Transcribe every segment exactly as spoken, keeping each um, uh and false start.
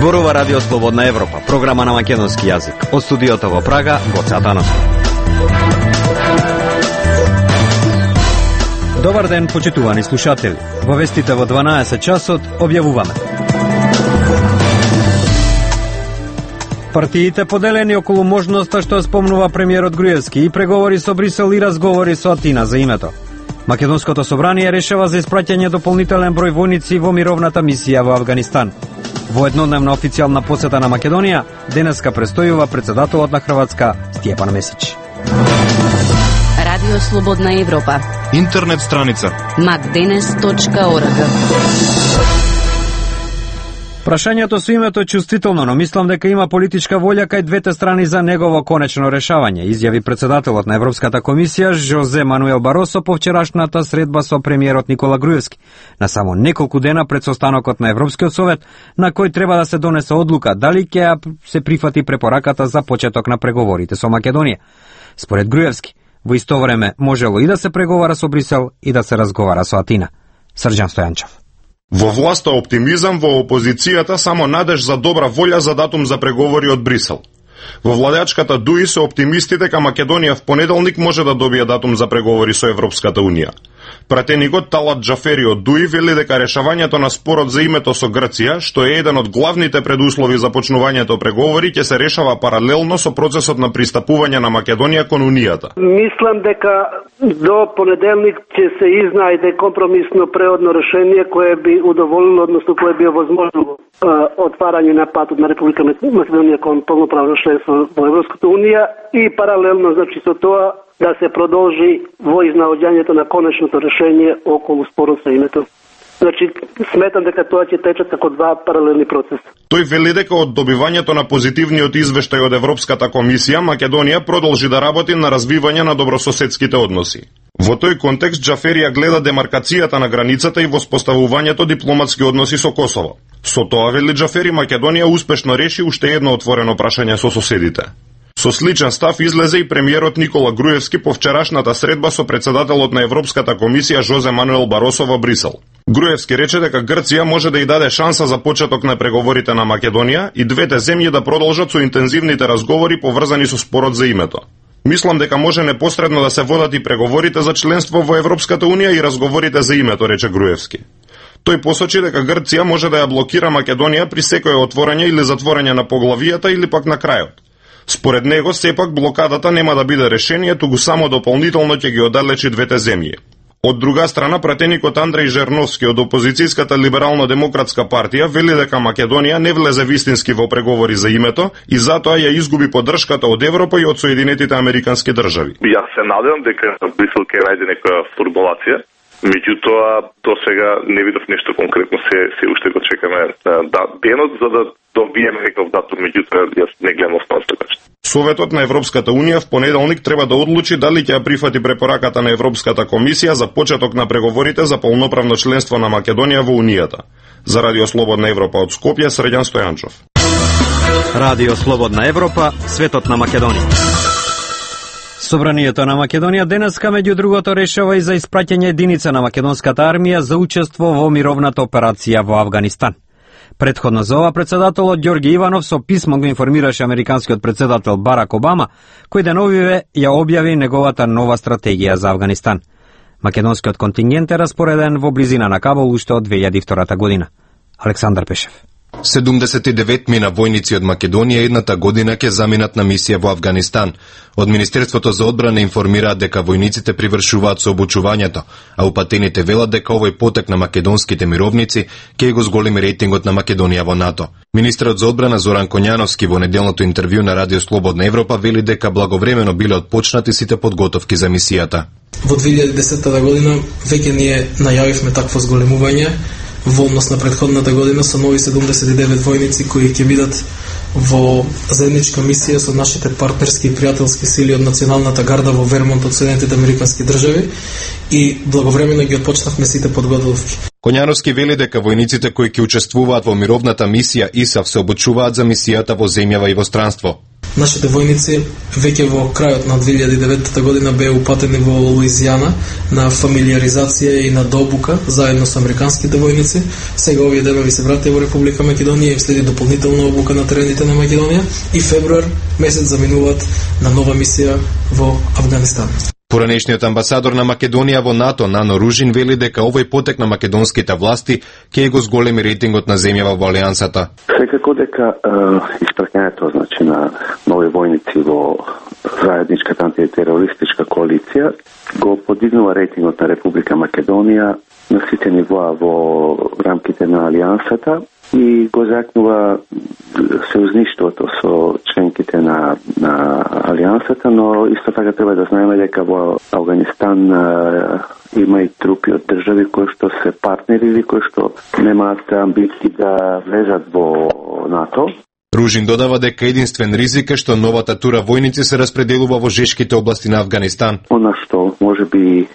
Зборува Радио Слободна Европа, програма на македонски јазик. Од студиото во Прага, Гоце Атанасов. Добар ден, почитувани слушатели. Во вестите во дванаесет часот објавуваме. Партиите поделени околу можноста што спомнува премиерот Груевски и преговори со Брисел и разговори со Атина за името. Македонското собрание решава за испраќање дополнителен број војници во мировната мисија во Авганистан. Во еднодневна официјална посета на Македонија, денеска престојува председателот на Хрватска Стјепан Месич. Радио Слободна Европа. Интернет страница макденес точка орг. Прашањето со името е чувствително, но мислам дека има политичка волја кај двете страни за негово конечно решавање, изјави председателот на Европската комисија Жозе Мануел Баросо по вчерашната средба со премиерот Никола Груевски, на само неколку дена пред состанокот на Европскиот совет, на кој треба да се донесе одлука дали ќе се прифати препораката за почеток на преговорите со Македонија. Според Груевски, во исто време можело и да се преговара со Брисел и да се разговара со Атина. Срđan Стојанчев. Во власта оптимизам, во опозицијата само надеж за добра волја за датум за преговори од Брисел. Во владеачката ДУИ се оптимисти дека Македонија в понеделник може да добие датум за преговори со Европската унија. Пратеникот Талат Джафери од ДУИ вели дека решавањето на спорот за името со Грција, што е еден од главните предуслови за почнувањето преговори, ќе се решава паралелно со процесот на пристапување на Македонија кон Унијата. Мислам дека до понеделник ќе се изнајде компромисно преодно решение кое би удоволило, односно кое би овозможило отварање на патот на Република Македонија кон полноправно членство во Европската унија и паралелно, значи, со тоа да се продолжи во изнаоѓањето на конечното решение околу спорот за името. Значи, сметам дека тоа ќе течат како два паралелни процеса. Тој вели дека од добивањето на позитивниот извештај од Европската комисија, Македонија продолжи да работи на развивање на добрососедските односи. Во тој контекст, Джаферија гледа демаркацијата на границата и воспоставувањето дипломатски односи со Косово. Со тоа, вели Джафери, Македонија успешно реши уште едно отворено прашање со соседите. Со сличен став излезе и премиерот Никола Груевски по вчерашната средба со председателот на Европската комисија Жозе Мануел Баросо во Брисел. Груевски рече дека Грција може да й даде шанса за почеток на преговорите на Македонија и двете земји да продолжат со интензивните разговори поврзани со спорот за името. Мислам дека може непосредно да се водат и преговорите за членство во Европската унија и разговорите за името, рече Груевски. Тој посочи дека Грција може да ја блокира Македонија при секое отворање или затворање на поглавијата или пак на крајот. Според него, сепак блокадата нема да биде решение, туку само дополнително ќе ги оддалечи двете земји. Од друга страна, пратеникот Андреј Жерновски од опозицијската либерално-демократска партија вели дека Македонија не влезе вистински во преговори за името и затоа ја изгуби поддршката од Европа и од Соединетите Американски држави. Јас се надевам дека Брисел ќе најде некоја формулација. Меѓутоа, до сега не видов нешто конкретно, се, се уште го чекаме да, денот за да добиеме некој датум, меѓутоа јас не гледам останата така. Советот на Европската унија в понеделник треба да одлучи дали ќе ја прифати препораката на Европската комисија за почеток на преговорите за полноправно членство на Македонија во Унијата. За Радио Слободна Европа од Скопје, Срđan Стојанчев. Радио Слободна Европа, светот на Македонија. Собранието на Македонија денеска меѓу другото решава и за испраќање единица на македонската армија за учество во мировната операција во Авганистан. Предходно за ова председателот Ѓорги Иванов со писмо го информираше американскиот председател Барак Обама, кој деновиве ја објави неговата нова стратегија за Авганистан. Македонскиот контингент е распореден во близина на Кабул уште од две илјади и втора година. Александар Пешев. седумдесет и девет мина војници од Македонија едната година ќе заминат на мисија во Авганистан. Од Министерството за одбрана информираат дека војниците привршуваат со обучувањето, а упатените велат дека овој потек на македонските мировници ќе го зголеми рейтингот на Македонија во НАТО. Министерот за одбрана Зоран Коњановски во неделното интервју на Радио Слободна Европа вели дека благовремено биле отпочнати сите подготовки за мисијата. Во две илјади и десета година веќе ние најавивме такво зголемување. Во однос на предходната година со нови седумдесет и девет војници кои ќе бидат во заедничка мисија со нашите партнерски и пријателски сили од Националната гарда во Вермонт од Соединетите Американски држави и благовремено ги отпочнавме сите подготовки. Коњановски вели дека војниците кои ќе учествуваат во мировната мисија ИСАФ се обучуваат за мисијата во земјава и во странство. Нашите војници веќе во крајот на две илјади и деветта година беа упатени во Луизијана на фамилиаризација и на добука заедно со американските војници. Сега овие денови се вратија во Република Македонија и им следи дополнителна обука на терените на Македонија и февруар месец заминуваат на нова мисија во Авганистан. Поранешниот амбасадор на Македонија во НАТО, Нано Ружин, вели дека овој потек на македонските власти ќе го зголеми рейтингот на земјава во Алијансата. Секако дека е, испраќањето значи на нови војници во заедничката антитерористичка коалиција го подигнува рейтингот на Република Македонија на сите нивоа во рамките на Алијансата и го закнува сојузништвото со членките на на Алијансата, но исто така треба да знаеме дека во Авганистан а, има и трупи од држави кои што се партнери или кои што немаат амбиции да влезат во НАТО. Ружин додава дека единствен ризик е што новата тура војници се распределува во жешките области на Авганистан. Она што може би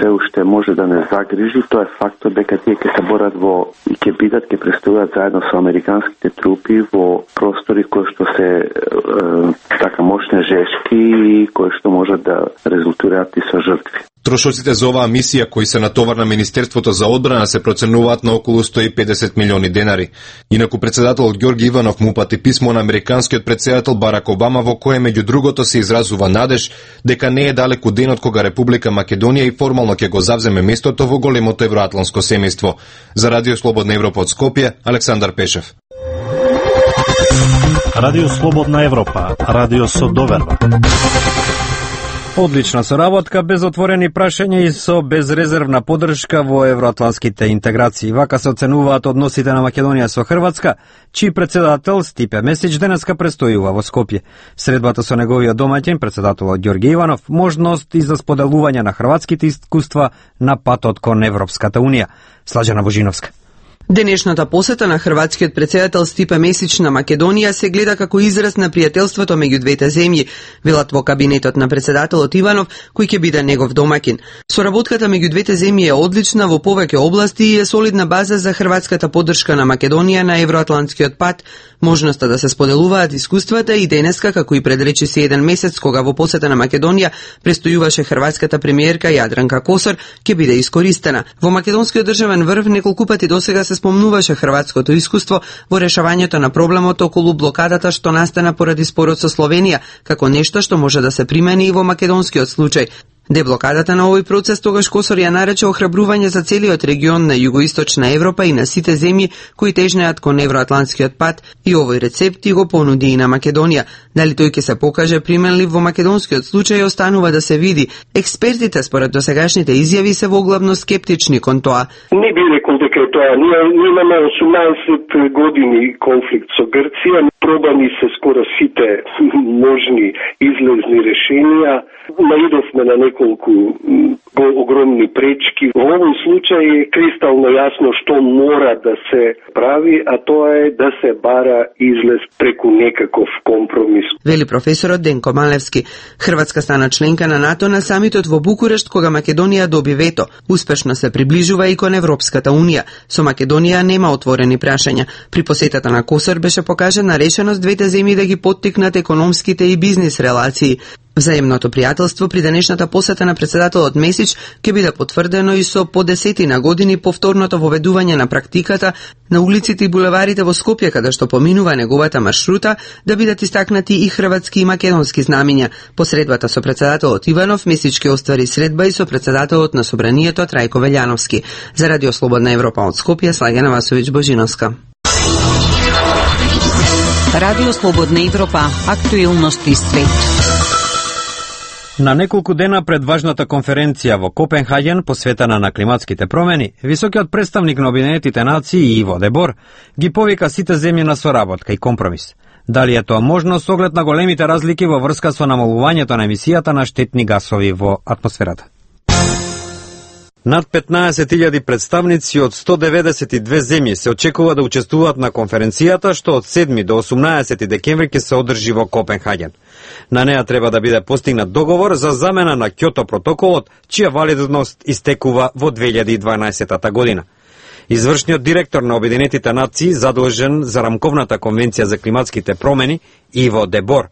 се уште може да не загрижи, тоа е фактот дека тие ќе се борат во и ќе бидат, ќе престојат заедно со американските трупи во простори кои што се е, така мощни жешки и кои што можат да резултираат и со жртви. Трошоците за оваа мисија кои се натовар на Министерството за одбрана се проценуваат на околу сто и педесет милиони денари. Инаку председателот Ѓорги Иванов му упати писмо на американскиот председател Барак Обама во кое меѓу другото се изразува надеж дека не е далеку денот кога Република Македонија и формално ќе го завземе местото во големото евроатланско семејство. За Радио Слободна Европа од Скопје, Александар Пешев. Радио Слободна Европа, радио со доверба. Одлична соработка, без отворени прашања и со безрезервна поддршка во евроатланските интеграции. Вака се оценуваат односите на Македонија со Хрватска, чиј председател Стипе Месич денеска престојува во Скопје. Средбата со неговиот домаќин, председателот Ѓорги Иванов, можност и за споделување на хрватските искуства на патот кон Европската Унија. Слажана Божиновска. Денешната посета на хрватскиот председател Стипе Месич на Македонија се гледа како израз на пријателството меѓу двете земји, велат во кабинетот на председателот Иванов, кој ќе биде негов домаќин. Соработката меѓу двете земји е одлична во повеќе области и е солидна база за хрватската поддршка на Македонија на евроатлантскиот пат, можноста да се споделуваат искуствата и денеска, како и пред речиси еден месец кога во посета на Македонија престојуваше хрватската премиерка Јадранка Косор, ќе биде искористена. Во македонскиот државен врв неколку пати досега се спомнуваше хрватското искуство во решавањето на проблемот околу блокадата што настана поради спорот со Словенија, како нешто што може да се примени и во македонскиот случај. Деблокадата на овој процес тогаш Косор ја нарече охрабрување за целиот регион на југоисточна Европа и на сите земји кои тежнеат кон евроатлантскиот пат и овој рецепт и го понуди и на Македонија. Дали тој ќе се покаже применлив во македонскиот случај останува да се види. Експертите според досегашните изјави се воглавно скептични кон тоа. Не би рекол дека е тоа. Ние, ние имаме осумнаесет години конфликт со Грција. Пробани се скоро сите можни излезни решенија. Наидовме на неколку огромни пречки. Во овој случај е кристално јасно што мора да се прави, а тоа е да се бара излез преку некаков компромис. Вели професорот Денко Малевски. Хрватска стана членка на НАТО на самитот во Букурешт кога Македонија доби вето. Успешно се приближува и кон Европската Унија. Со Македонија нема отворени прашања. При посетата на Косор беше покажана решеност двете земји да ги поттикнат економските и бизнис релации. Взаемното пријателство при денешната посета на председателот Месич ќе биде потврдено и со по десетина години повторното воведување на практиката на улиците и булеварите во Скопје, каде што поминува неговата маршрута, да бидат истакнати и хрватски и македонски знамиња. По средбата со председателот Иванов, Месич ќе оствари средба и со председателот на Собранието Трајко Велјановски. За Радио Слободна Европа од Скопје, Слаѓана Васовиќ Божиновска. Радио Слободна Европа, актуелности свет. На неколку дена пред важната конференција во Копенхаген посветена на климатските промени, високиот представник на Обединетите нации Иво Дебор ги повика сите земји на соработка и компромис. Дали е тоа можно со оглед на големите разлики во врска со намалувањето на емисијата на штетни гасови во атмосферата? Над петнаесет илјади представници од сто деветдесет и две земји се очекува да учествуваат на конференцијата што од седми до осумнаесети декември ќе се одржи во Копенхаген. На неа треба да биде постигнат договор за замена на Кјото протоколот, чија валидност истекува во две илјади и дванаесета година. Извршниот директор на Обединетите нации, задолжен за рамковната конвенција за климатските промени, Иво Дебор,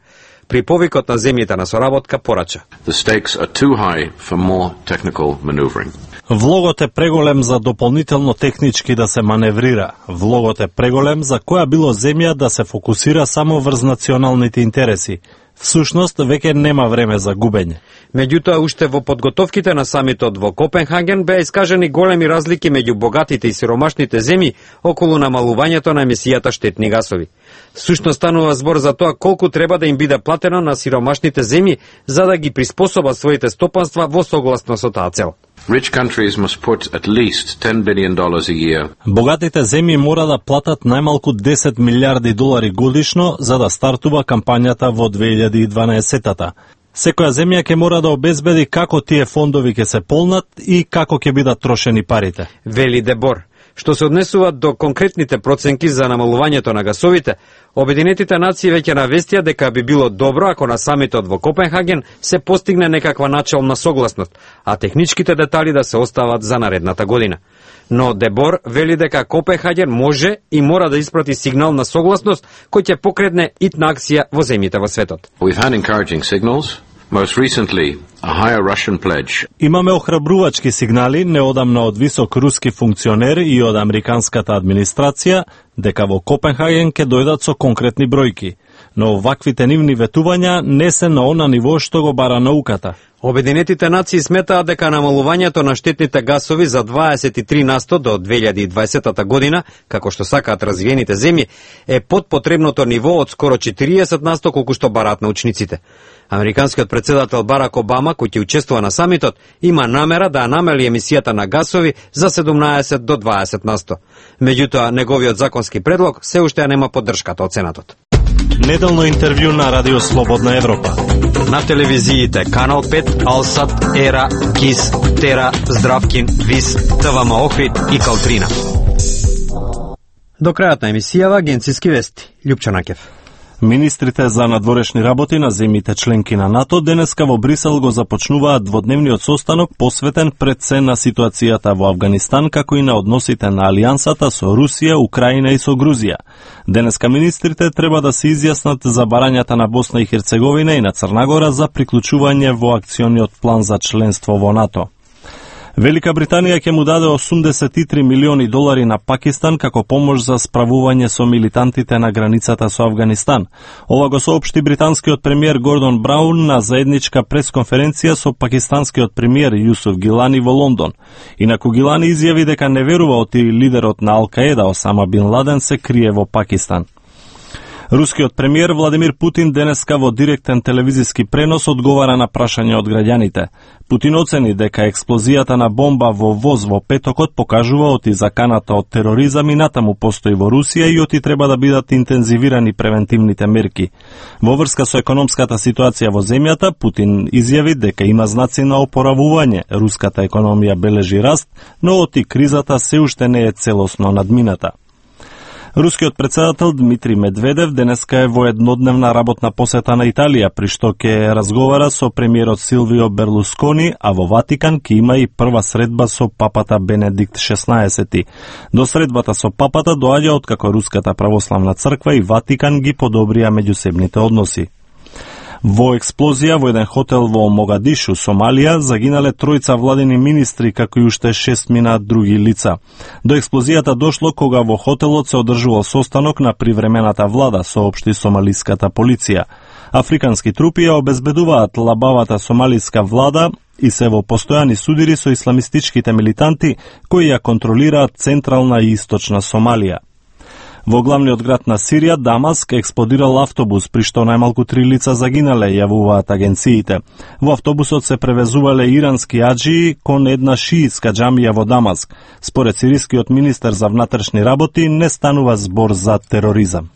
при повикот на земјите на соработка порача. The stakes are too high for more technical maneuvering. Влогот е преголем за дополнително технички да се маневрира. Влогот е преголем за која било земја да се фокусира само врз националните интереси. Всушност, веќе нема време за губење. Меѓутоа, уште во подготовките на самитот во Копенхаген беа искажени големи разлики меѓу богатите и сиромашните земји околу намалувањето на емисијата штетни гасови. Всушност станува збор за тоа колку треба да им биде платено на сиромашните земји за да ги приспособат своите стопанства во согласно со таа цел. Rich countries must put at least ten billion dollars a year. Богатите земји мора да платат најмалку десет милиарди долари годишно за да стартува кампањата во две илјади и дванаесетта. Секоја земја ќе мора да обезбеди како тие фондови ќе се полнат и како ќе бидат трошени парите. Вели Дебор. Што се однесува до конкретните проценки за намалувањето на гасовите, Обединетите нации веќе навестија дека би било добро ако на самитот во Копенхаген се постигне некаква начална согласност, а техничките детали да се остават за наредната година. Но Дебор вели дека Копенхаген може и мора да испрати сигнал на согласност кој ќе покретне итна акција во земјите во светот. We've had encouraging signals. Most recently, a higher Russian pledge. Имаме охрабрувачки сигнали неодамна од висок руски функционер и од американската администрација дека во Копенхаген ќе дојдат со конкретни бројки, но ваквите нивни ветувања не се на она ниво што го бара науката. Обединетите нации сметаат дека намалувањето на штетните гасови за дваесет и три на сто до две илјади и дваесетта година, како што сакаат развиените земји, е под потребното ниво од скоро четириесет на сто колку што бараат научниците. Американскиот председател Барак Обама, кој ќе учествува на самитот, има намера да намали емисијата на гасови за седумнаесет до дваесет на сто. Меѓутоа, неговиот законски предлог се уште нема поддршката од Сенатот. Неделно интервју на Радио Слободна Европа. На телевизиите Канал пет, Алсат, Ера, Кис, Тера, Здравкин, Вис, ТВМ Охрид и Калтрина. До крајот на емисијава агенциски вести. Лјупчо Накев. Министрите за надворешни работи на земјите членки на НАТО денеска во Брисел го започнуваат дводневниот состанок посветен пред се на ситуацијата во Авганистан, како и на односите на Алијансата со Русија, Украина и со Грузија. Денеска министрите треба да се изјаснат за барањата на Босна и Херцеговина и на Црна Гора за приклучување во акциониот план за членство во НАТО. Велика Британија ќе му даде осумдесет и три милиони долари на Пакистан како помош за справување со милитантите на границата со Авганистан. Ова го соопшти британскиот премиер Гордон Браун на заедничка пресконференција со пакистанскиот премиер Јусуф Гилани во Лондон. Инаку Гилани изјави дека не верува оти лидерот на Ал-Каеда Осама Бин Ладен се крие во Пакистан. Рускиот премиер Владимир Путин денеска во директен телевизиски пренос одговара на прашања од граѓаните. Путин оцени дека експлозијата на бомба во воз во петокот покажува оти заканата од тероризам и натаму постои во Русија и оти треба да бидат интензивирани превентивните мерки. Во врска со економската ситуација во земјата, Путин изјави дека има знаци на опоравување. Руската економија бележи раст, но оти кризата се уште не е целосно надмината. Рускиот председател Дмитрий Медведев денеска е во еднодневна работна посета на Италија, при што ќе разговара со премиерот Силвио Берлускони, а во Ватикан ќе има и прва средба со папата Бенедикт шеснаесети. До средбата со папата доаѓа откако Руската православна црква и Ватикан ги подобрија меѓусебните односи. Во експлозија во еден хотел во Могадишу, Сомалија, загинале тројца владини министри, како и уште шестмина други лица. До експлозијата дошло кога во хотелот се одржувал состанок на привремената влада, соопшти сомалиската полиција. Африкански трупи ја обезбедуваат лабавата сомалиска влада и се во постојани судири со исламистичките милитанти кои ја контролираат централна и источна Сомалија. Во главниот град на Сирија, Дамаск, експлодирал автобус, при што најмалку три лица загинале, јавуваат агенциите. Во автобусот се превезувале ирански аџии кон една шиитска џамија во Дамаск. Според сирискиот министер за внатрешни работи, не станува збор за тероризам.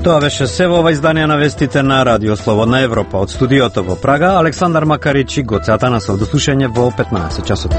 Тоа беше се во ова издание на вестите на Радио Слободна Европа. Од студиото во Прага, Александар Макарич и Гоце Атанасов. До слушање во петнаесет часот.